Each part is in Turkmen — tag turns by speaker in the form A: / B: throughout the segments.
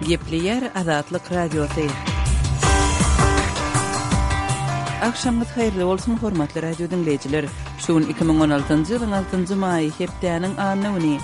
A: Gepleýär Azatlyk Radiosy. Agşamyňyz haýyrly bolsun, hormatly radio diňleýjiler! Şu gün 2016-njy ýylyň altynjy maýy, hepdäniň anna güni.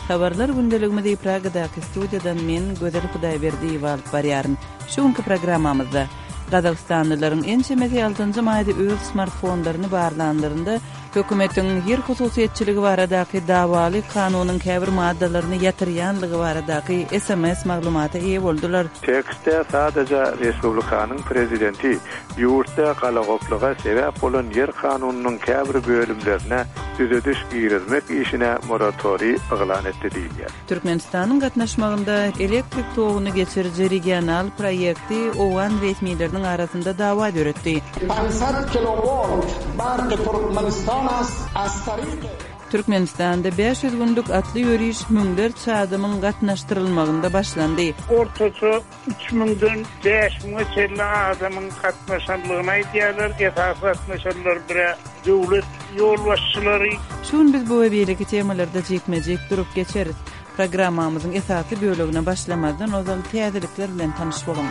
A: Habarlar gündeligimizi Pragadaky studiýadan men, Gözel Hudaýberdiýewa alyp barýaryn. Şu günki programmamyzda, Gazagystanlylaryň ençemesi altynjy maýda öz smartfonlaryny barlanlarynda, hökümetiň ýer hususyýetçiligi baradaky dawaly kanunyň käbir maddalaryny ýatyrýanlygy baradaky sms maglumata eýe boldular.
B: Tekstde sadaja respublikanyň prezidenti ýurtda galagoplyga sebäp bolan ýer kanunynyň käbir bölümlerine düzediş girizmek işine moratoriý yglan etdi diýilýär.
A: Türkmenistanyň gatnaşmagynda elektrik toguny geçiriji regional proýekti owgan resmileriniň arasynda dawa döretdi.
C: Pansad kilowolt barky Türkmenistan ast az taryky.
A: Türkmenistanda 500 günlük atly ýöriş müňlerçe adamyň gatnaşdyrylmagynda başlandy.
D: Ortaça Üç müňden bäş müňe çenli adamyň gatnaşanlygyny aýdýarlar. Esasy gatnaşanlar bir-ä döwlet ýolbaşçylary.
A: Şu gün biz bu we beýleki temalarda jikme-jik durup geçeris. Programmamyzyň esasy bölegine başlamazdan ozal täzelikler bilen tanyş boluň.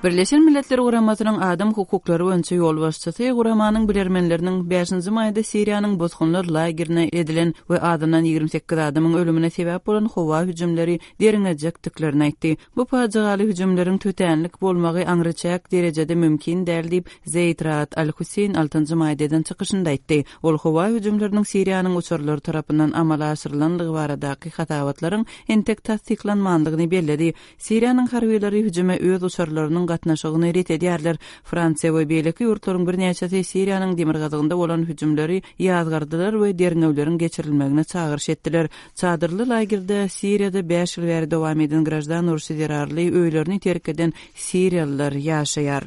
A: Birleşen Milletler Guramasynyň adam hukuklary boýunça ýolbaşçysy guramanyň bilermenleriniň bäşinji maýda Siriýanyň bosgunlar lagerine edilen we azyndan 28 adamyň ölümine sebäp bolan howa hüjümleri derňejekdiklerini aýtdy. Bu pajygaly hüjümleriň tötänlik bolmagy aňryçäk derejede mümkin däl diýip, Zeýd Raad Al-Husseýn altynjy maýda eden çykyşynda aýtdy. Ol howa hüjümleriniň Siriýanyň uçarlary tarapyndan amala aşyrylandygy baradaky hasabatlaryň entek tassyklanmandygyny belledi. Siriýanyň harbylary hüjüme öz uçarlarynyň gatnaşygyny ret edýärler. Fransiýa we beýleki ýurtlaryň birnäçesi Siriýanyň demirgazygynda bolan hüjümleri ýazgardylar we derňewleriň geçirilmegine çagyryş etdiler. Çadyrly lagerde Siriýada bäş ýyl bäri dowam eden graždan urşy zerarly öýlerini terk eden siriýalylar ýaşaýar.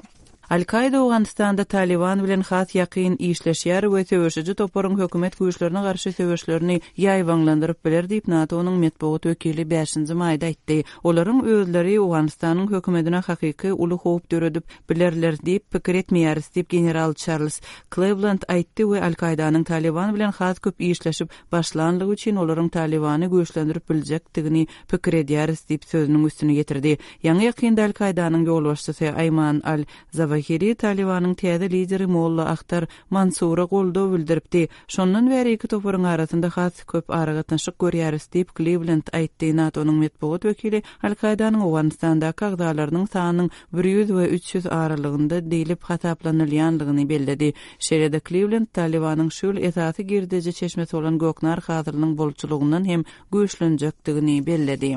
A: Al-Kaýda Owganystanda Talyban bilen has ýakyn işleşýär we söweşiji toparyň hökümet güýçlerine garşy söweşlerini ýaýbaňlandyryp biler diýip, NATO-nyň metbugat wekili bäşinji maýda aýtdy. Olaryň özleri Owganystanyň hökümetine hakyky uly howp döredip bilerler diýip pikir etmeýäris diýip, general Çarlz Klewland aýtdy we Al-Kaýdanyň Talyban bilen has köp işleşip başlanlygy üçin olaryň Talybany güýçlendirip biljekdigini pikir edýäris diýip, sözüniň üstüni ýetirdi. Ýaňy-ýakynda Al-Kaýdanyň ýolbaşçysy Aýman al-Zawahiri Talybanyň täze lideri Molla Ahtar Mansura goldaw bildiripdi. Şondan bäri iki toparyň arasynda has köp aragatnaşyk görýäris diýip, Kliwlend aýtdy. NATO-nyň metbugat wekili Al-Kaýdanyň Owganystandaky agzalarynyň sanynyň bir ýüz we 300 aralygynda diýlip hasaplanylýandygyny belledi. Şeýle-de Kliwlend Talybanyň şu ýyl esasy girdeji çeşmesi bolan göknar hasylynyň bolçulygyndan hem güýçlenjekdigini belledi.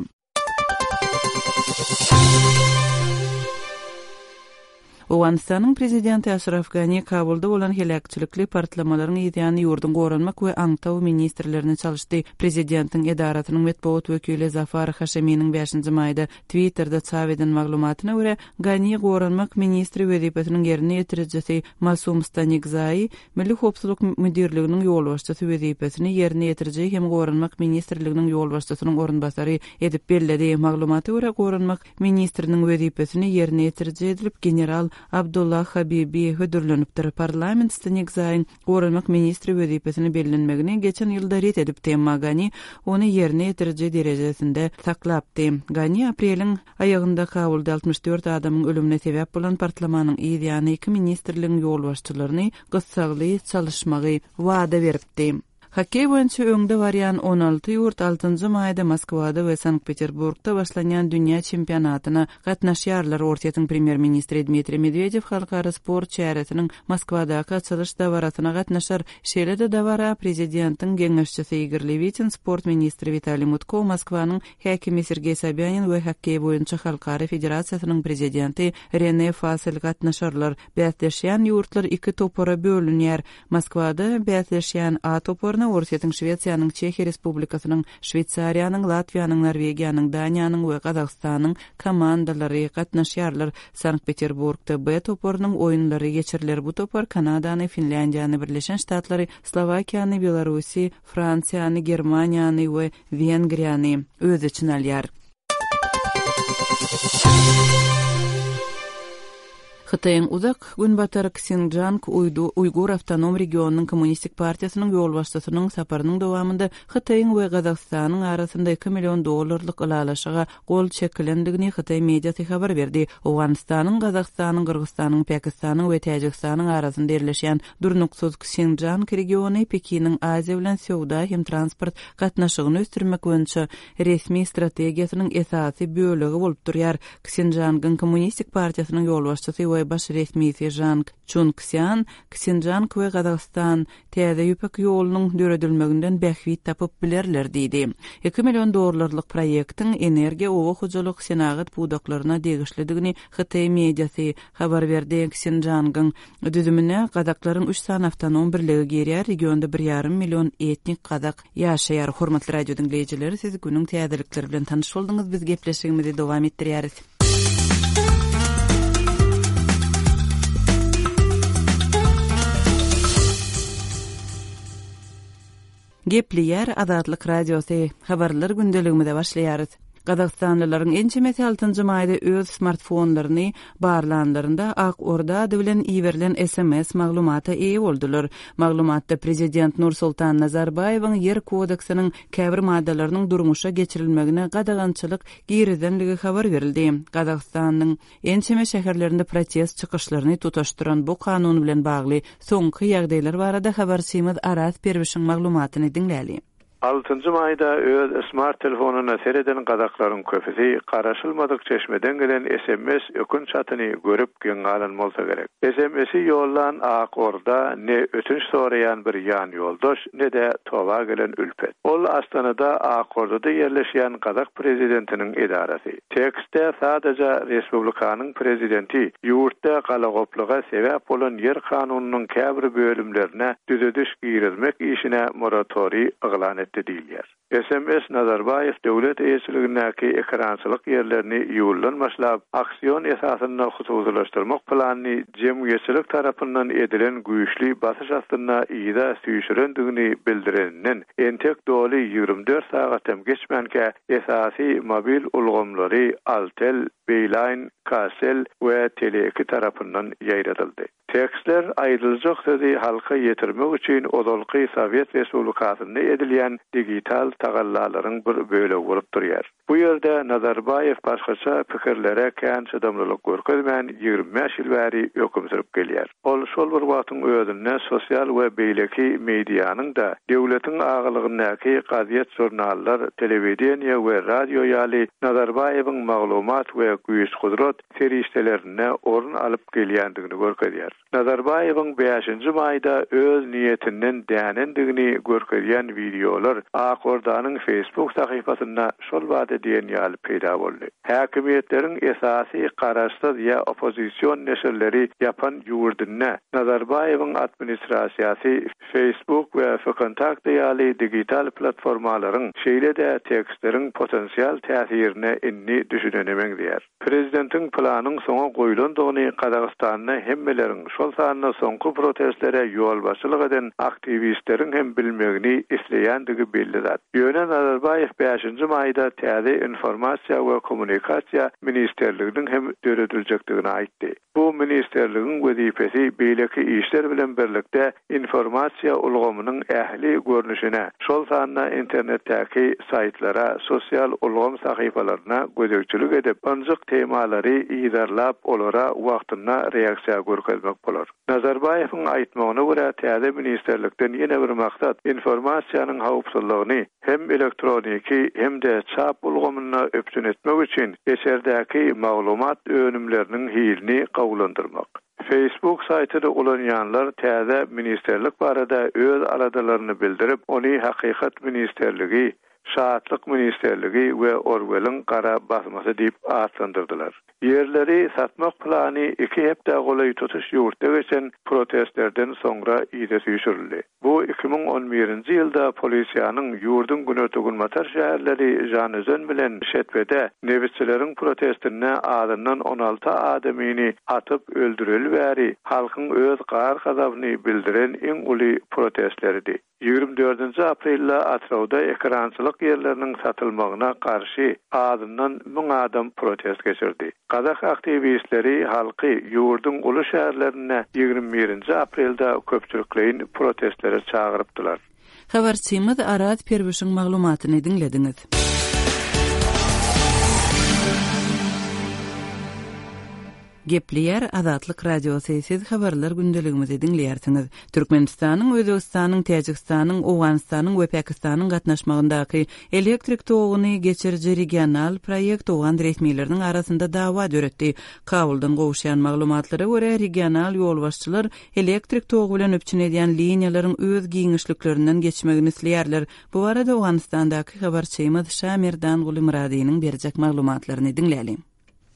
A: Owganystanyň prezidenti Aşraf Gani Kabulda bolan heläkçilikli partlamalaryň yzýany ýurduň goranmak we aňtaw ministrlerini çalyşdy. Prezidentiň edarasynyň metbugat wekili Zafar Haşeminiň bäşinji maýda Twitterde çap eden maglumatyna görä, Gani goranmak ministri wezipesiniň ýerine ýetirijisi Masum Stanikzai Milli howpsuzlyk müdirliginiň ýolbaşçysy wezipesini ýerine ýetiriji hem Goranmak ministrliginiň ýolbaşçysynyň orunbasary edip belledi. Maglumata görä, Goranmak ministriniň wezipesini ýerine ýetiriji edilip general Abdullah Habibi hödürlenipdir. Parlament Stanikzaýyň Goranmak ministri wezipesine bellenmegini geçen ýylda ret edipdi, emma Gani ony ýerine ýetiriji derejesinde saklapdy. Gani apreliň Aýagynda Kabulda 64 adamyň ölümine sebäp bolan partlamanyň yz ýany iki ministrligiň ýolbaşçylaryny gyssagly çalyşmagy wada beripdi. Hokkeý boýunça öňde barýan 16 ýurt altynjy maýda Moskwada we Sankt-Peterburgda başlanýan dünýä çempionatyna gatnaşýarlar. Orsýetiň premýer-ministri Dmitriý Medwedew halkara sport çäresiniň Moskwadaky açylyş dabarasyna gatnaşar. Şeýle-de dabara prezidentiň geňeşçisi Igor Lewitin, sport ministri Witaliý Mutko, Moskwanyň Häkimi Sergeý Sobýanin we Hokkeý boýunça halkara federasiýasynyň prezidenti Rene Fasel gatnaşarlar. Bäsleşýän ýurtlar iki topara bölünýär. Moskwada bäsleşýän A toparyna Orsýetiň, Şwesiýanyň, Çehiýa Respublikasynyň, Şweýsariýanyň, Latwiýanyň, Norwegiýanyň, Daniýanyň we Gazagystanyň komandalary gatnaşýarlar. Sankt-Peterburgda B toparynyň oýunlary geçiriler. Bu topar Kanadany, Finlýandiýany, Birleşen Ştatlary, Slowakiýany, Belarusy, Fransiýany, Germaniýany we Wengriýany öz içine alýar. Hytaýyň Uzak Günbatar Ksinjan Uýgur awtonom regionynyň Kommunistik partiýasynyň ýolbaşçysynyň saparynyň dowamynda Hytaýyň we Gazagystanyň arasynda 2 million dollarlyk ylalaşyga gol çekilendigini hytaý mediasy habar berdi. Owganystanyň, Gazagystanyň, Gyrgyzystanyň, Pakistanyň we Täjigistanyň arasynda ýerleşýän durnuksyz Ksinjan regiony Pekiniň Aziýa bilen söwda hem transport gatnaşygyny ösdürmek boýunça resmi strategiýasynyň esasy bölegi bolup durýar. Ksinžangyň Kommunistik partiýasynyň ýolbaşçysy we baş resmisi Žang Çunkszýan Ksinžang we Gazagystan Täze Ýüpek ýolunyň döredilmeginden bähbit tapyp bilerler diýdi. Iki million dollarlyk proýektiň energiýa, oba hojalyk, senagat pudaklaryna degişlidigini hytaý mediasy habar berdi. Ksinžangyň düzümine gazaklaryň üç sany awtonom birligi girýär, regionda bir ýarym million etnik gazak ýaşaýar. Hormatly radio diňleýjiler, siz günüň täzelikleri bilen tanyş bolduňyz, biz gepleşigimizi dowam etdirýäris. Gepleýär Azatlyk Radiosy, Habarlar gündeligimize başlaýarys. Gazagystanlylaryň ençemesi altynjy maýda öz smartfonlaryny barlanlarynda Ak Orda ady bilen iberilen sms maglumata eýe boldular. Maglumatda prezident Nursultan Nazarbaýewiň Ýer kodeksiniň käbir maddalarynyň durmuşa geçirilmegine gadagançylyk girizenligi habar berildi. Gazagystanyň ençeme şäherlerinde protest çykyşlaryny tutaşdyran bu kanun bilen bagly soňky ýagdaýlar barada habarçymyz Araz Perwişiň maglumatyny diňläli.
B: Altynjy maýda öz smart telefonyna sereden gazaklaryň köpüsi garaşylmadyk çeşmeden gelen sms ökünç hatyny görüp geň galan bolsa gerek. SMS-i ýollan Ak Orda ne ötünç soraýan bir ýanýoldaş, ne-de toba gelen ülpet. Ol Astanada Ak Ordada ýerleşýän gazak prezidentiniň edarasy. Tekstde sadaja respublikanyň prezidenti ýurtda galagoplyga sebäp bolan ýer kanunynyň käbir bölümlerine düzediş girizmek işine moratoriý yglan etdi diýilýär. Sms Nazarbaýew döwlet eýeçiligindäki ekerançylyk ýerlerini iýuldan başlap aksion esasynda hususylaşdyrmak planyny jemgyýetçilik tarapyndan edilen güýçli basyş astynda yza süýşürendigini bildireninden entek doly 24 sagat hem geçmänkä Esasy mobil ulgamlary Altel, Beeline, Kcell we Tele2 tarapyndan ýaýradyldy. Tekstler aýdyljak sözi halka ýetirmek üçin ozalky Sowet Respublikasynda edilýän digital tagallalaryň bir bölegi bolup durýar. Bu ýerde Nazarbaýew başgaça pikirlere kän çydamlylyk görkezmän 25 ýyl bäri höküm sürüp gelýär. Ol şol bir wagtyň özünde sosial we beýleki medianyň-da, döwletiň agalygyndaky gazet-žurnallar, telewideniýe we radio ýaly Nazarbaýewiň maglumat we güýç-gudrat serişdelerinde orun alyp gelýändigini görkezýär. Nazarbaýewiň bäşinji maýda öz niýetinden dänendigini görkezýän wideolar Ak Ordanyň Facebook sahypasynda şol bada diýen ýaly peýda boldy. Häkimiýetleriň esasy garaşsyz ýa oppozision neşirleri ýapan ýurdunda Nazarbaýewiň administrasiýasy Facebook we VKontakte ýaly digital platformalaryň, şeýle-de tekstleriň potensial täsirine indi düşünene meňzeýär. Prezidentiň planyň soňa goýlandygyny Gazagystanda hemmeleriň, şol sanda soňky protestlere ýolbaşçylyk eden aktiwistleriň hem bilmegini isleýändigi belli zat. Ýöne Nazarbaýew bäşinji maýda täze Informasiýa we kommunikasiýa ministrliginiň hem dörediljekdigini aýtdy. Bu ministrligiň wezipesi beýleki işler bilen birlikde informasiýa ulgamynyň ähli görnüşine, şol sanda internetdäki saýtlara, sosial ulgam sahypalaryna gözegçilik edip, ynjyk temalary yzarlap, olara wagtynda reaksiýa görkezmek bolar. Nazarbaýewiň aýtmagyna görä, täze ministrlikden ýene bir maksat informasiýanyň howpsuzlygyny hem elektroniki, hem-de çap ulgamynda üpjün etmek üçin içerdäki maglumat önümleriniň hilini gowulandyrmak. Facebook saýtyny ulanýanlar täze ministrlik barada öz aladalaryny bildirip, ony Hakykat ministrligi, Şatlyk ministrligi we Orweliň gara basmasy diýip atlandyrdylar. Ýerleri satmak plany iki hepdä golaý tutuş ýurtda geçen protestlerden soňra yza süýşürildi. Bu 2011-nji ýylda polisiýanyň ýurduň günorta-günbatar şäherleri Žanözen bilen Şetbede nebitçileriň protestinde azyndan 16 adamyny atyp öldüreli bäri halkyň öz gahar-gazabyny bildiren iň uly protestleridi. Ýigrimi dördünji aprelde Atyrauda ekerançylyk. hojalyk ýerleriniň satylmagyna garşy azyndan müň adam protest geçirdi. Gazak aktiwistleri halky ýurduň uly şäherlerinde 21-nji aprelde köpçülikleýin protestlere çagyrypdylar.
A: Habarçymyz Araz Perwişiň maglumatyny diňlediňiz. Gepleýär Azatlyk Radiosy, siz habarlar gündeligimizi diňleýärsiňiz. Türkmenistanyň, Özbegistanyň, Täjigistanyň, Owganystanyň we Pakistanyň gatnaşmagyndaky elektrik toguny geçiriji regional proýekt owgan resmileriniň arasynda dawa döretdi. Kabuldan gowuşýan maglumatlara görä, regional ýolbaşçylar elektrik togy bilen üpjün edýän liniýalaryň öz giňişliklerinden geçmegini isleýärler. Bu barada Owganystandaky habarçymyz Şamerdanguly Myradynyň berjek maglumatlaryny diňläliň.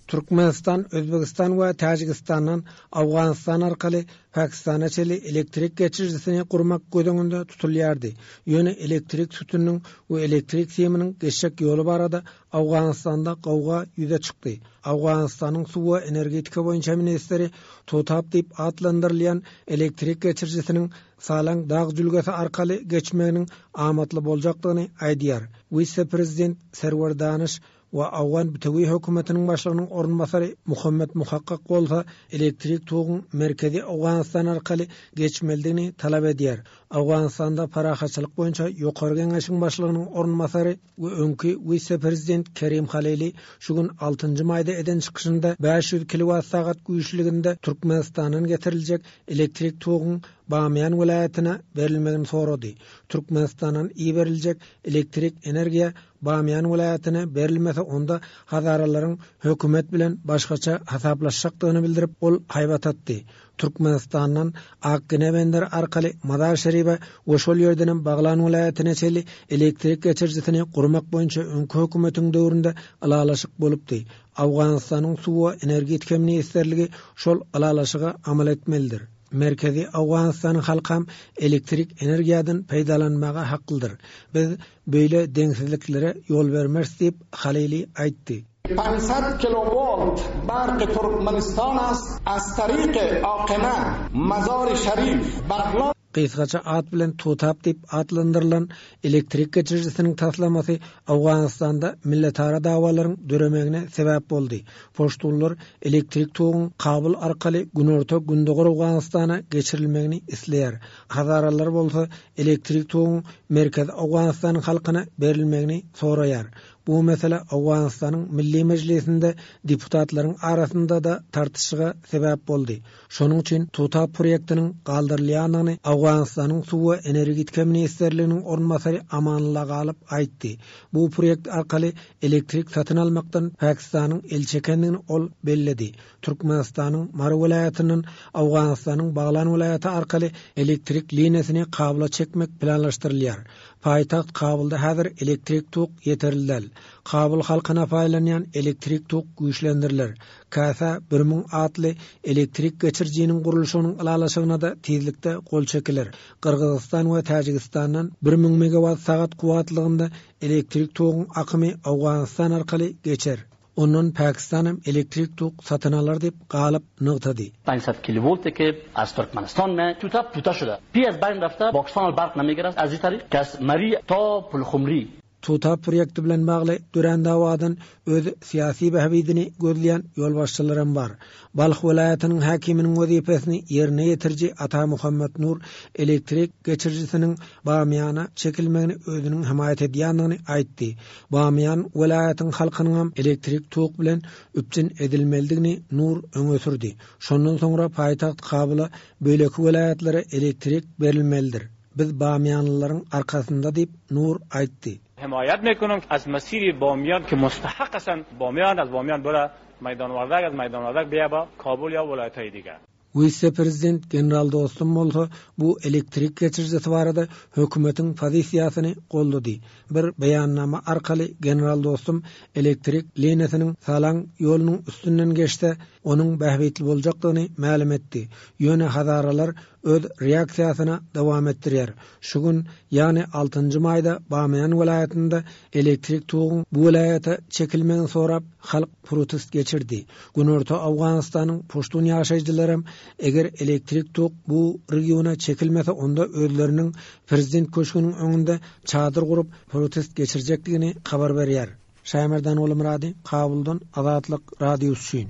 E: Türkmenistan, Özbegistan we Täjigistandan Owganystan arkaly Pakistana çenli elektrik geçirijisini gurmak göz öňünde tutulýardy. Ýöne elektrik sütüniniň we elektrik siminiň geçjek ýoly barada Owganystanda gowga ýüze çykdy. Owganystanyň suw we energetika boýunça ministri Tutap diýip atlandyrylýan elektrik geçirijisiniň Salang dag jülgesi arkaly geçmeginiň amatly boljakdygyny aýdýar. Wise-prezident Serwer Danyş we Owgan bitewi hökümetiniň başlygynyň orunbasary Muhammet Muhakkak bolsa elektrik toguň merkezi Owganystan arkaly geçmelidigini talap edýär. Owganystanda parahatçylyk boýunça Ýokary Geňeşiň başlygynyň orunbasary we öňki wise-prezident Kerim Halili şu gün altynjy maýda eden çykyşynda 500 kilowat-sagat güýçlüginde Türkmenistandan getiriljek elektrik toguň Bamyýan welaýatyna berilmegini sorady. Türkmenistandan iberiljek elektrik energiýa Bamyýan welaýatyna berilmese onda hazaralaryň hökümet bilen başgaça hasaplaşjakdygyny bildirip, ol haýbat atdy. Türkmenistandan Akgine benderi arkaly Mazar-Şeribe we şol ýerdenem Baglan welaýatyna çenli elektrik geçirijisini gurmak boýunça öňki hökümetiň döwründe ylalaşyk bolupdy. Owganystanyň Suw we energetika ministrligi şol ylalaşyga amal etmelidir. Merkezi Owganystanyň halkam elektrik energiýadan peýdalanmaga haklydyr. Biz beýle deňsizliklere ýol bermeris diýip, Halili aýtdy.
C: 500 kilowolt barky Türkmenistan ast az taryky Akina, Mazary Şarif, Baglan.
E: Gysgaça at bilen TUTAP diýip atlandyrylan elektrik geçirijisiniň taslamasy Owganystanda milletara dawalaryň döremegine sebäp boldy. Poştunlar elektrik toguň Kabul arkaly günorta-gündogar Owganystana geçirilmegini isleýär. Hazaralar bolsa elektrik toguň merkezi Owganystanyň halkyna berilmegini soraýar. Bu mesele Owganystanyň Milli Mejlisinde deputatlaryň arasynda-da tartyşyga sebäp boldy. Şonuň üçin Tuta proýektiniň galdyrylýandygyny Owganystanyň Suw we energetika ministrliginiň orunbasary Amanullah Galyp aýtdy. Bu proýekt arkaly elektrik satyn almakdan Pakistanyň el çekendigini ol belledi. Türkmenistanyň Mary welaýatyndan Owganystanyň Baglan welaýaty arkaly elektrik liniýasyny Kabula çekmek planlaşdyrylýar. Paýtagt Kabulda häzir elektrik tok ýeterli däl. Kabul halkyna paýlanýan elektrik tok güýçlendiriler. Kasa 1000 atly elektrik geçirijiniň gurluşygynyň ylalaşygyna-da tizlikde gol çekiler. Gyrgyzystan we Täjigistandan 1000 megawat sagat kuwwatlygynda elektrik toguň akymy Owganystan arkaly geçer. Ondan Pakistanam elektrik tok satyn alar diýip, Galyp nygtady.
F: 500 kilovolte ke az Turkmenistan me tuta puta şuda pi az bayn rafta Pakistan al barq namigiras az i tariq ke az Mari ta Pulkhumri.
E: Tuta proýekti bilen bagly dörän dawadan öz syýasy bähbidini gözleýän ýolbaşçylaram bar. Balh welaýatynyň häkiminiň wezipesini ýerine ýetiriji Ata Muhammet Nur elektrik geçirijisiniň Bamyýana çekilmegini özüniň hemaýat edýändigini aýtdy. Bamyýan welaýatyň halkynyňam elektrik tok bilen üpjün edilmelidigini Nur öňe sürdi. Şondan soňra paýtagt Kabula, beýleki welaýatlara elektrik berilmelidir. Biz bamyýanlylaryň arkasynda diýip, Nur aýtdy.
G: Hemaýat mekonam az masiri Bamyýan ki mustahak asan Bamyýan az Bamyýan bora Meýdan Wardak az Meýdan Wardak biýa ba Kabul ýa welaýathaýy diga.
E: Wise-prezident general Dostum bolsa bu elektrik geçirijisi barada hökümetiň pozisiýasyny goldady. Bir beýannama arkaly general Dostum elektrik liniýasynyň Salang ýolunyň üstünden geçse, onuň bähbitli boljakdygyny mälim etdi. Ýöne hazaralar. öz reaksiýasyny dowam etdirýär. Şu gün, ýagny altynjy maýda Bamyýan welaýatynda elektrik toguň bu welaýata çekilmegini sorap, halk protest geçirdi. Günorta Owganystanyň puştun ýaşaýjylaram eger elektrik tok bu regiona çekilmese onda özleriniň prezident köşgüniň öňünde çadyr gurup protest geçirjekdigini habar berýär. Şaýmerdan Gulumyrady, Kabuldan Azatlyk Radiosy üçin.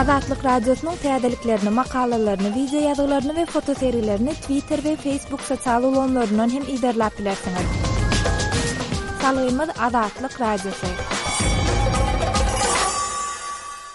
H: Azatlyk Radiosynyň täzeliklerini, makalalaryny, wideo ýazgylaryny we fotosergilerini Twitter we Facebook sosial ulgamlaryndan hem yzarlap bilersiňiz. Salgymyz Azatlyk Radiosy.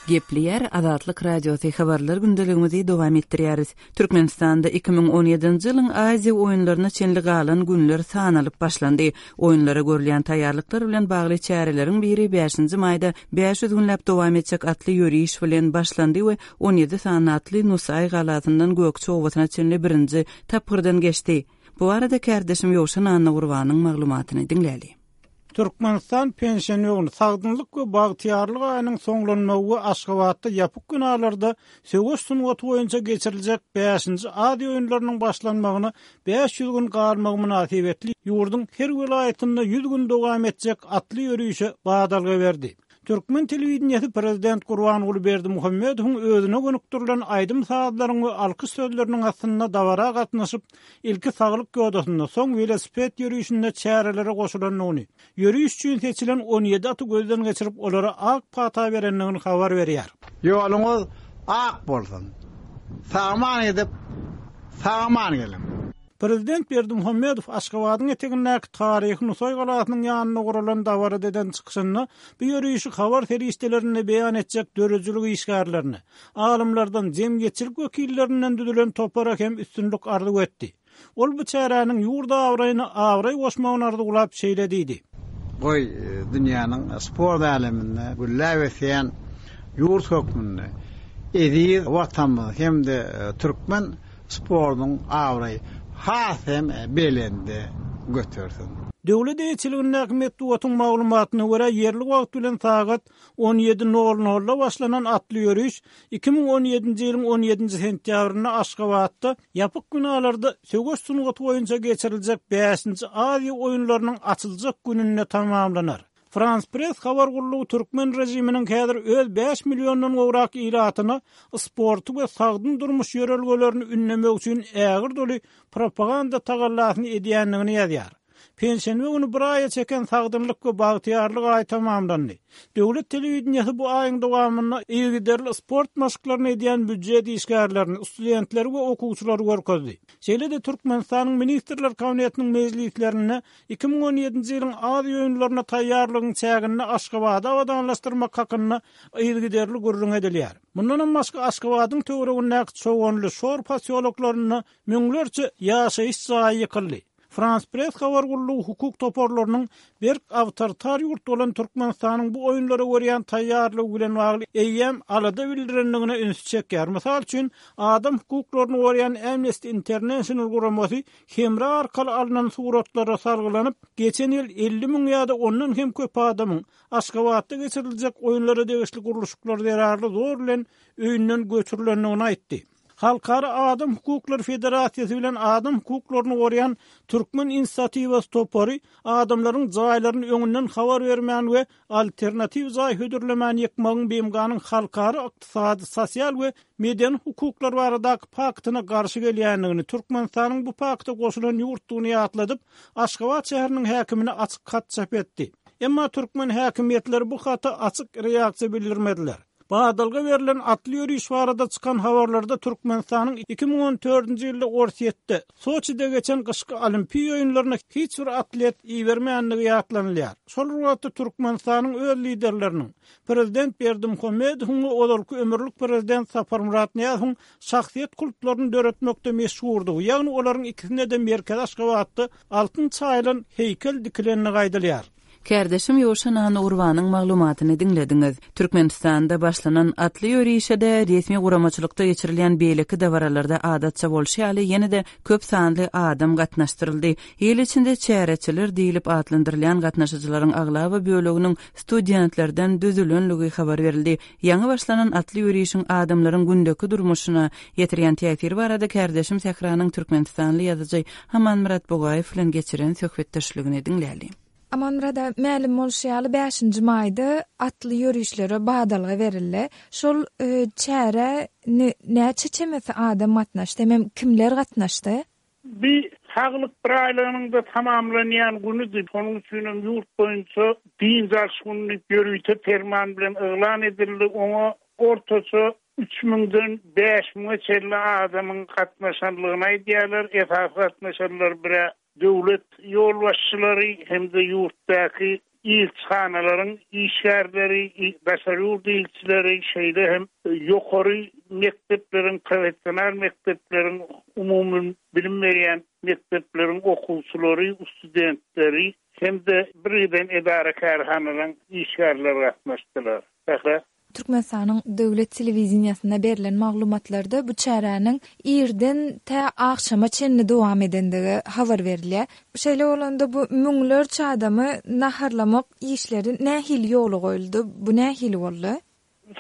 A: Gepleýär Azatlyk Radiosy habarlar gündeligimizi dowam etdirýäris. Türkmenistanda 2017-nji ýylyň Aziýa oýunlaryna çenli galan günler sanalyp başlandy. Oýunlara görülýän taýýarlyklar bilen bagly çäreleriň biri bäşinji maýda 500 günläp dowam etjek atly ýöriş bilen başlandy we 17 sany atly Nusaý galasyndan Gökje obasyna çenli birinji tapgyrdan geçdi. Bu barada kärdeşim Ýowşan Annagurbanyň maglumatyny diňläli.
I: Türkmenistan penşenbe güni Sagdynlyk we bagtyýarlyk aýynyň soňlanmagy we Aşgabatda ýapyk binalarda söweş sungaty boýunça geçiriljek bäşinji Aziýa oýunlarynyň başlanmagyna 500 gün galmagy mynasybetli ýurduň her welaýatynda 100 gün dowam etjek atly ýörişe badalga berdi. Türkmen telewideniýesi prezident Gurbanguly Berdimuhamedowyň özüne gönükdirilen aýdym-sazlaryň we alkyş sözleriniň astynda dabara gatnaşyp, ilki saglyk ýodasynda, soň welosiped ýörişinde çärelere goşulandygyny, ýöriş üçin seçilen 17 aty gözden geçirip, olara ak pata berendigini habar berýär.
C: Ýoluňyz ak bolsun! Sag-aman gidip, sag-aman geliň!
I: Prezident Berdimuhamedow Aşgabadyň etegindäki taryhy Nusaý galasynyň ýanynda guralan dabarada eden çykyşynda bu ýörişi habar serişdelerinde beýan etjek döredijilik işgärlerine, alymlardan, jemgyýetçilik wekillerinden düzülen topara hem üstünlik arzuw etdi. Ol bu çäräniň ýurt abraýyna abraý goşmagyny arzuwlap şeýle diýdi.
C: Goý, dünýäniň sport äleminde gülläp ösýän ýurt hökmünde eziz Watanymyz hem-de türkmen sportuň abraýy has hem belende götersin.
I: Döwlet eýeçiligindäki metbugatyň maglumatyna görä, ýerli wagt bilen sagat 17 nol nolda başlanan atly ýöriş 2017-nji ýylyň on ýedinji sentýabrynda Aşgabatda ýapyk binalarda söweş sungaty boýunça geçiriljek bäşinji Aziýa oýunlarynyň açyljak gününde tamamlanar. Frans Press habar gullugy türkmen režiminiň häzir öz bäş milliondan gowrak ilatyna sporty we sagdyn durmuş ýörelgelerini ündemek üçin ägirt uly propaganda tagallasyny edýändigini ýazýar. Penşenbe güni bir aýa çeken Sagdynlyk we bagtyýarlyk aýy tamamlandy. Döwlet telewideniýesi bu aýyň dowamynda yzygiderli sport maşklaryny edýän býujet işgärlerini, studentleri we okuwçylary görkezdi. Şeýle-de Türkmenistanyň Ministrler Kabinetiniň mejlislerinde 2017-nji ýylyň Aziýa oýunlaryna taýýarlygyň çäginde Aşgabady abadanlaşdyrmak hakynda yzygiderli gürrüň edilýär. Mundanam başga Aşgabadyň töweregindäki Çoganly, Şor posýoloklarynda müňlerçe ýaşaýyş jaýy ýykyldy. Frans Press habar gullugy hukuk toparlarynyň berk awtoritar ýurt bolan Türkmenistanyň bu oýunlara görýän taýýarlygy bilen bagly eýýäm alada bildirendigine ünsi çekýär. Mysal üçin, adam hukuklaryny goraýan Amnesty International guramasy hemra arkaly alnan suratlara salgylanyp, geçen ýyl 50 müň ýa-da ondan hem köp adamyň Aşgabatda geçiriljek oýunlara degişli gurluşyklar zerarly zor bilen öýünden göçürilendigini aýtdy. Halkara adam hukuklary federasiýasy bilen adam hukuklaryny goraýan Türkmen inisiatiwasy topary adamlaryň jaýlaryny öňünden habar bermän we alternatiw jaý hödürlemän ýykmagyň BMG-niň halkara ykdysady, sosial we medeni hukuklar baradaky paktyna garşy gelýändigini, Türkmenistanyň bu pakta goşulan ýurtdugyny ýatladyp, Aşgabat şäheriniň häkimine açyk hat çap etdi. Emma türkmen häkimiýetleri bu hata açyk reaksiýa bildirmediler. Badalga berlen atly ýöriş barada çykan habarlarda Türkmenistanyň 2014-nji ýylda Orsýetde, Soçide geçen gyşky Olimpiýa oýunlaryna hiç bir atlet ibermändigi ýatlanylýar. Şol bir wagtda Türkmenistanyň öz liderleriniň, prezident Berdimuhamedowyň we ozalky ömürlik prezident Saparmyrat Nyýazowyň şahsyýet kultlaryny döretmekde meşhurdygy, ýagny olaryň ikisine-de merkezi Aşgabatda altyn çaýylan heýkel dikilendigi aýdylýar.
A: Kärdeşim Ýowşan Annagurbanyň maglumatyny diňlediňiz. Türkmenistanda başlanan atly ýörişe-de, resmi guramaçylykda geçirilýän beýleki dabaralarda adatça bolşy ýaly ýene-de köp sanly adam gatnaşdyryldy. Il içinde çäreçiler diýlip atlandyrylýan gatnaşyjylaryň aglaba böleginiň studentlerden düzülenligi habar berildi. Ýaňy başlanan atly ýörişiň adamlaryň gündeki durmuşyna ýetirýän täsiri barada kärdeşim Sähranyň türkmenistanly ýazyjy Amanmyrat Bugaýew bilen geçiren söhbetdeşligini diňläliň.
H: Amanmyrada, mälim bolşy ýaly, bäşinji maýda atly ýörişlere badalga berildi. Şol çärä näçe çemesi adam gatnaşdy hemem kimler gatnaşdy?
D: Bi saglyk biraýlygynyň-da tamamlanýan günüdi. Şonuň üçinem ýurt boýunça dynç alyş güni diýip ýörite perman bilen yglan edildi. Oňa ortaça üç müňden bäş müňe çenli adamyň gatnaşanlygyny aýdýarlar. Esasy gatnaşanlar bir-ä döwlet ýolbaşçylary hem-de ýurtdaky ilçihanalaryň işgärleri, daşary ýurt ilçileri, şeýle hem ýokary mekdepleriň, professional mekdepleriň, umumybilim berýän mekdepleriň okuwçylary, studentleri hem-de birgiden edara-kärhanalaryň işgärleri gatnaşdylar. Sähra.
H: Türkmenistanyň döwlet telewideniýesinde berlen maglumatlarda bu çäräniň irden tä agşama çenli dowam edendigi habar berilýär. Şeýle bolanda bu müňlerçe adamy naharlamak işleri nähili ýola goýuldy, bu nähili boldy?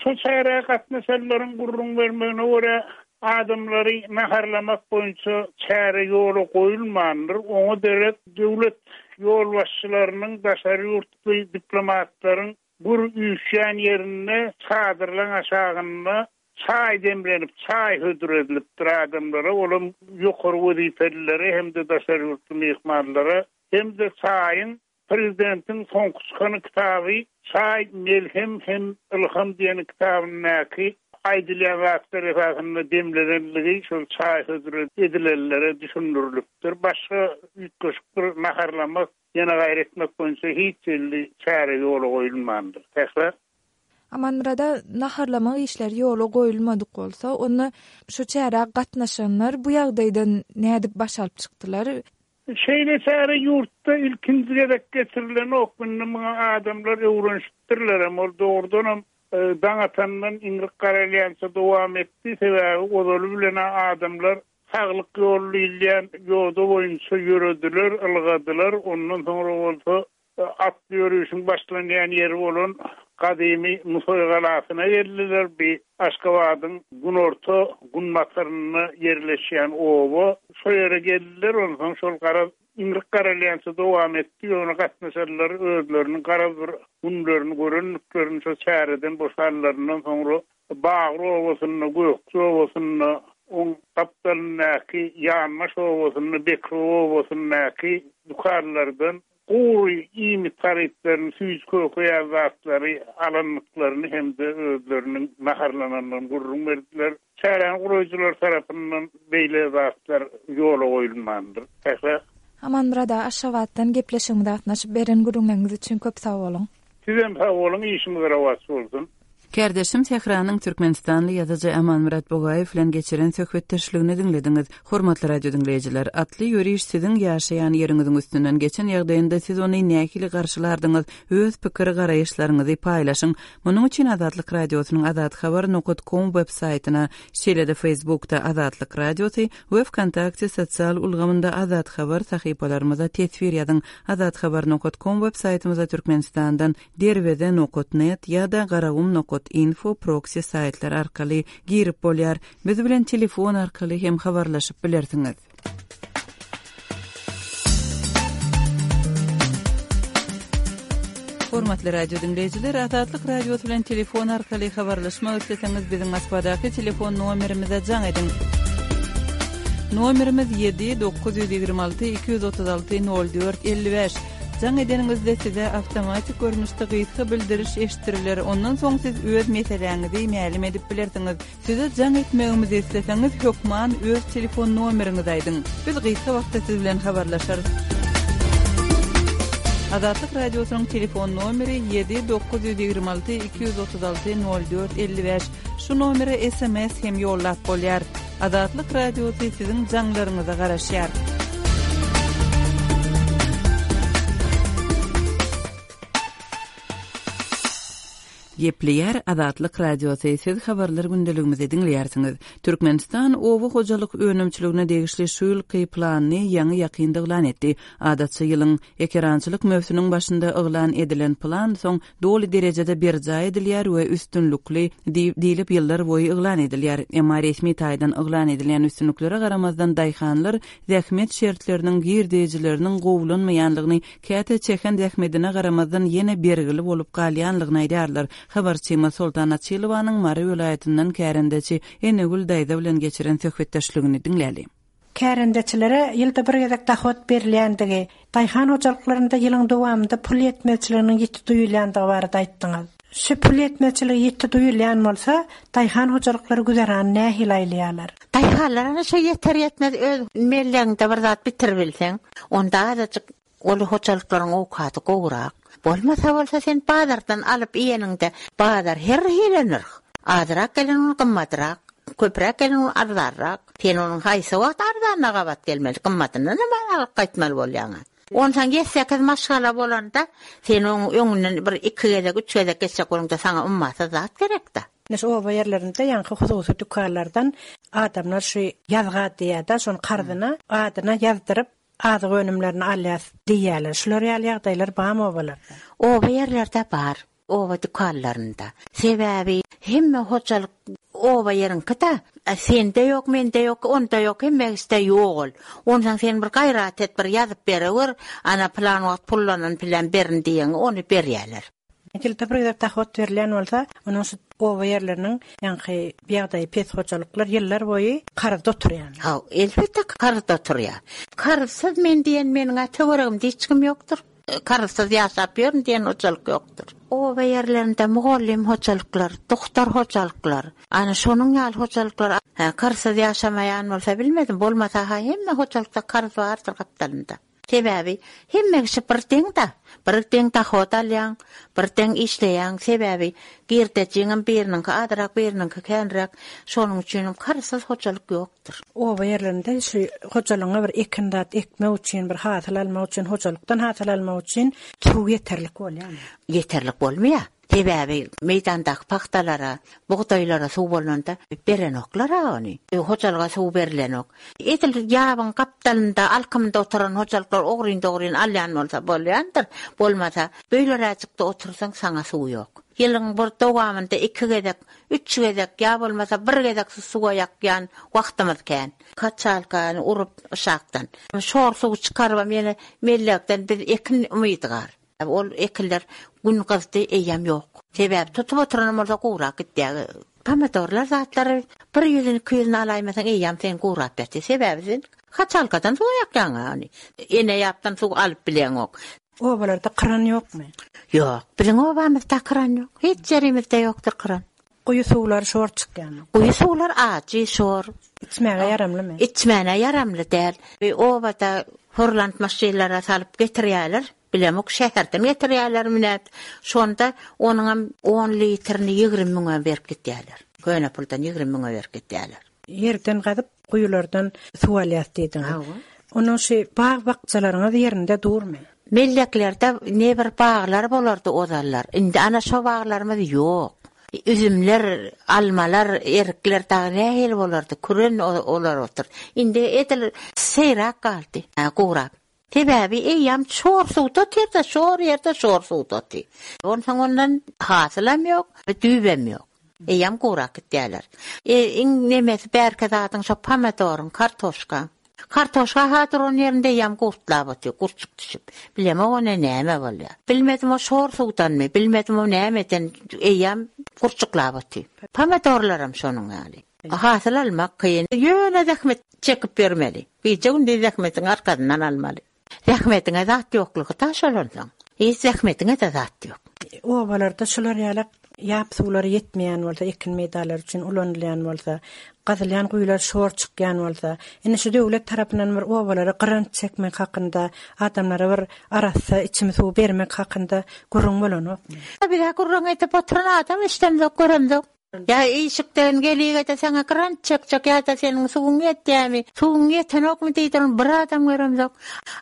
D: Şo çärä gatnaşanlaryň gürrüň bermegine görä, adamlary naharlamak boýunça çäre ýola goýulmandyr, oňa derek döwlet ýolbaşçylarynyň, daşary ýurtly diplomatlaryň Gür üýşýän ýerinde çadyrlaň aşagynda çaý demlenip, çaý hödür edilipdir adamlara, olam ýokary wezipelilere hem-de daşary ýurtly myhmanlara hem-de çaýyň prezidentiň soňky çykan kitaby Çaý, melhem hem ylham diýen kitabyndaky aýdylýan zatlar esasynda demlenenligi şol çaý hödür edilenlere düşündirilipdir. Başga üýtgeşik bir naharlamak Ýene gaýry etmek boýunça hiç hili çäre ýola goýulmandyr. Sähra.
H: Amanmyrada naharlamak işleri ýola goýulmadyk bolsa, onda şu çärä gatnaşanlar bu ýagdaýdan nädip baş alyp çykdylar?
D: Şeýle çäre ýurtda ilkinji gezek geçirilenok. Indi muňa adamlar öwrenişipdirlerem. Ol dogrudanam daň atandan iňrik garalýança dowam etdi. Sebäbi ozaly bilen-ä adamlar Saglyk ýoly diýilýän ýoda boýunça ýörediler, ylgadylar, ondan soňra bolsa atly ýörişiň başlanýan ýeri bolan gadymy Nusaý galasyna geldiler. Bu Aşgabadyň günorta günbatarynda ýerleşýän oba. Şo ýere geldiler, onsoň şol garaz iňrik garalýança dowam etdi, ýöne gatnaşanlar özleriniň garaz bir günlerini görendiklerini şo çäreden boşanlaryndan soňra Bagry obasynda, Gökje obasynda, oň gapdalyndaky Ýanbaş obasynda, Bekrew obasyndaky dükanlardan gury iýmit harytlaryny, süýji-köke ýaly zatlary alandyklaryny hem-de özleriniň naharlanandygyny gürrüň berdiler. Çäräni guraýjylar tarapyndan beýle zatlar ýola goýulmandyr. Sähra.
H: Amanmyrat aga, Aşgabatdan gepleşigimize gatnaşyp, beren gürrüňleriňiz üçin köp sag boluň!
D: Sizem sag boluň, işiňiz rowaç bolsun!
A: Kärdeşim Sähranyň türkmenistanly ýazyjy Amanmyrat Bugaýew bilen geçiren söhbetdeşligini diňlediňiz. Hormatly radiodiňleýjiler, atly ýöriş siziň ýaşaýan ýeriňiziň üstünden geçen ýagdaýynda siz ony nähili garşylardyňyz? Öz pikir-garaýyşlaryňyzy paýlaşyň. Munuň üçin Azatlyk Radiosynyň azathabar nokat kom web saýtyna, şeýle-de Facebookda Azatlyk Radiosy we Wkontakte sosial ulgamynda Azat Habar sahypalarymyza teswir ýazyň. Azathabar nokat kom web saýtymyza Türkmenistandan Derweze nokat net ýa-da Garagum nokat info proksi saýtlary arkaly girip bolýar. Biz bilen telefon arkaly hem habarlaşyp bilersiňiz. Hormatly radio diňleýjiler, Azatlyk Radiosy bilen telefon arkaly habarlaşmak isleseňiz, biziň Moskwadaky telefon nomerimize jaň ediň. Nomerimiz 7 926 236 04 55. Jaň edeniňizde size awtomatik görnüşde gysga bildiriş eşitdiriler, ondan soň siz öz meseläňizi mälim edip bilersiňiz. Size jaň etmegimizi isleseňiz, hökman öz telefon nomeriňizi aýdyň. Biz gysga wagtda siz bilen habarlaşarys. Azatlyk Radiosynyň telefon nomeri 7 926 236 04 55. Şu nomere sms hem ýollap bolýar. Azatlyk Radiosy siziň jaňlaryňyza garaşýar. Gepleýär Azatlyk Radiosy, siz habarlar gündeligimizi diňleýärsiňiz. Türkmenistan oba hojalyk önümçiligine degişli şu ýylky planyny ýaňy-ýakynda yglan etdi. Adatça ýylyň ekerançylyk möwsüniň başynda yglan edilen plan soň doly derejede berjaý edilýär we üstünlikli diýlip ýyllar boýy yglan edilýär. Emma resmi taýdan yglan edilýän üstünliklere garamazdan daýhanlar zähmet şertleriniň, girdejileriniň gowulanmaýanlygyny, käte çeken zähmedine garamazdan ýene bergili bolup galýanlygyny aýdýarlar. Habarçymyz Soltan Açylowanyň Mary welaýatyndan kärendeçi Enegül daýza bilen geçiren söhbetdeşligini diňläli.
J: Kärendeçilere ýylda bir gezek dahod berilýändigi, daýhan hojalyklarynda ýylyň dowamynda pul ýetmezçiliginiň ýiti duýulýandygy barada aýtdyňyz. Şu pul ýetmezçiligi ýiti duýulýan bolsa, daýhan hojalyklary güzerany nähili aýlaýarlar?
K: Daýhanlar ana şo ýeter-ýetmez öz mellegiňde bir zat bitiribilseň, onda azajyk Uly hojalyklaryň owkady gowurak. Bolmasa bolsa sen bazardan alyp iýeniňde bazar her hili nyrh. Azrak gelen gün gymmadrak, köpräk gelen gün arzanrak. Sen onuň haýsy wagt arzanyna gabat gelmeli, gymmadyndanam alyp gaýtmaly bolýaň-a. Onsoň ýedi-sekiz maşgala bolanda, sen oň öňünden bir iki gezek, üç gezek geçjek bolaňda saňa ummasyz zat gerek-dä.
J: Ine şu oba ýerlerinde ýaňky hususy dükanlardan adamlar şu ýazga diýýär-de, şony karzyna adyna ýazdyryp, Azyk önümlerini alýas diýýärler. Şular ýaly ýagdaýlar barmy obalarda?
K: Oba ýerlerde bar. Oba dükanlarynda. Sebäbi hemme hojalyk oba ýeriňki-dä. Sende ýok, mende ýok, onda ýok, hemmegisde ýok ol. Onsoň sen bir gaýrat et, bir ýazyp berewer, ana pylan wagt pullanan piläm berin diýeňi, ony berýärler.
J: Ýylda bir gezek dahod berilýän bolsa, onuň şu oba ýerleriniň ýaňky ýagdaýy pes hojalyklar ýyllar boýy karzda oturýan.
K: Haw, elbetde karzda oturýar. Karzsyz men diýen meniň-ä töweregimde hiç kim ýokdur. Karzsyz ýaşap ýörün diýen hojalyk ýokdur. Oba ýerlerinde mugallym hojalyklar, dogtor hojalyklar, ana şonuň ýaly hojalyklar karzsyz ýaşamaýan bolsa bilmedim, bolmasa-ha hemme hojalykda karz bardyr gapdalynda. Sebäbi hemme kişi bir deň-da. Bir deň dahod alýaň, bir deň işleýäň. Sebäbi girdejiňem biriniňki azrak, biriniňki känräk. Şonuň üçinem karzsyz hojalyk ýokdur.
J: Oba ýerlerinde şu hojalygyňa bir ekin zat ekmek üçin, bir hasyl almak üçin, hojalykdan hasyl almak üçin suw ýeterlik bolýarmy?
K: Ýeterlik bolmaýar. Sebäbi meýdandaky pagtalara, bugdaýlara suw bolanda berenoklar-a ony. Hojalyga suw berlenok. Edil ýabyň gapdalynda, alkymynda oturan hojalyklar ogryn-dogryn alýan bolsa bolýandyr. Bolmasa, beýleräjikde otursaň, saňa suw ýok. Ýylyň bir dowamynda iki gezek, üç gezek ýa bolmasa bir gezek suwa ýakýan wagtymyz kän. Kaçalkany urup yşakdan, şor suwy çykarybam ýene mellekden biz ekin umydy gar. Ol ekinler gün gyzdy eýýäm ýok. Sebäbi tutup oturanam bolsa gurak gitýär. Pomidorlar zatlary bir ýüzüni iki ýüzüni alaýmasaň eýýäm sen gurap ýatyr. Sebäbi sen haçalkadan suw ýakýaň ony. Ene ýapdan suw alyp bileňok.
J: Obalarda kyran ýokmy?
K: Ýok. Biziň obamyzda kyran ýok. Hiç ýerimizde ýokdur kyran.
J: Guýy suwlary şor çykýarmy?
K: Guýy suwlar ajy, şor.
J: Içmäge ýaramlymy?
K: Içmäne ýaramly däl. Obada horlant maşynlara salyp getirýärler. Bilemok, şäherden getirýärlermi nädip. Şonda onuňam on litrini 20 müňe berip gidýärler. Köne puldan 20 müňe berip gidýärler.
J: Ýerden gazyp, guýulardan suw alýas diýdiňiz. Hawa. Onuň şu bag-bakjalaryňyz ýerinde durmy?
K: Melleklerde nebir baglar bolardy ozallar. Indi ana şo baglarymyz ýok. Üzümler, almalar, erikler dagy nähili bolardy, küren olar otyr. Indi edil seýrak galdy, gurap. Sebäbi eýýäm şor suwda otyr-da, şor ýerde şor suwda otyr. Onsoň ondan hasylam ýok, düýbem ýok. Eýýäm gurap gitýärler. Iň nemesi bärki zadyň şo pomidoryň, kartoşkaň. Kartoşka-ha duran ýerinde eýýäm gurtlap otyr, gurçuk düşüp. Bilemok o näme bolýar. Bilmedim o şor suwdanmy, bilmedim o nämeden eýýäm gurçuklap otyr. Pomidorlaram şonuň ýaly. Hasyl almak kyn. Ýöne zähmet çekip ýörmeli. Gije-gündiz zähmetiň arkasyndan almaly. Zähmetiňe zat ýoklugy daş bolansoň, hiç zähmetiňe-de zat ýok.
J: Obalarda şular ýaly ýap suwlary ýetmeýän bolsa, ekin meýdanlary üçin ulanylýan bolsa, gazylýan guýular şor çykýan bolsa, indi şu döwlet tarapyndan bir obalara grant çekmek hakynda, adamlara bir arassa içimi suw bermek hakynda gürrüň bolanokmy?
K: Biz-ä gürrüň edip oturan adam eşidemzok, göremzok. Ýa işikden geligede saňa grant çekjek ýa-da seniň suwuň ýetýämi, suwuň ýetenokmy diýdirin bir adam göremzok.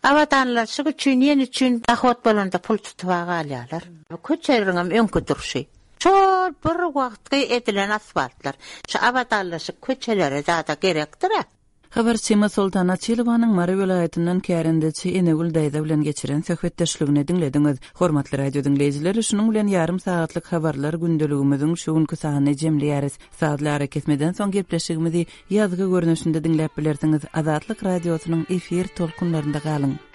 K: Abadanlaşyk üçin, ýene üçin dahod bolanda pul tutuba galýarlar. Köçeleriňem öňki durşy. Şol bir wagtky edilen asfaltlar. Şu abadanlaşyk köçelere zada gerekdir-ä.
A: Habarçymyz Soltan Açylowanyň Mary welaýatyndan kärendeçi Enegül daýza bilen geçiren söhbetdeşligini diňlediňiz. Hormatly radio diňleýjiler, şunuň bilen ýarym sagatlyk habarlar gündeligimiziň şu günki sanyny jemleýäris. Sazly arakesmeden soň gepleşigimizi ýazgy görnüşinde diňläp bilersiňiz. Azatlyk Radiosynyň efir tolkunlarynda galyň!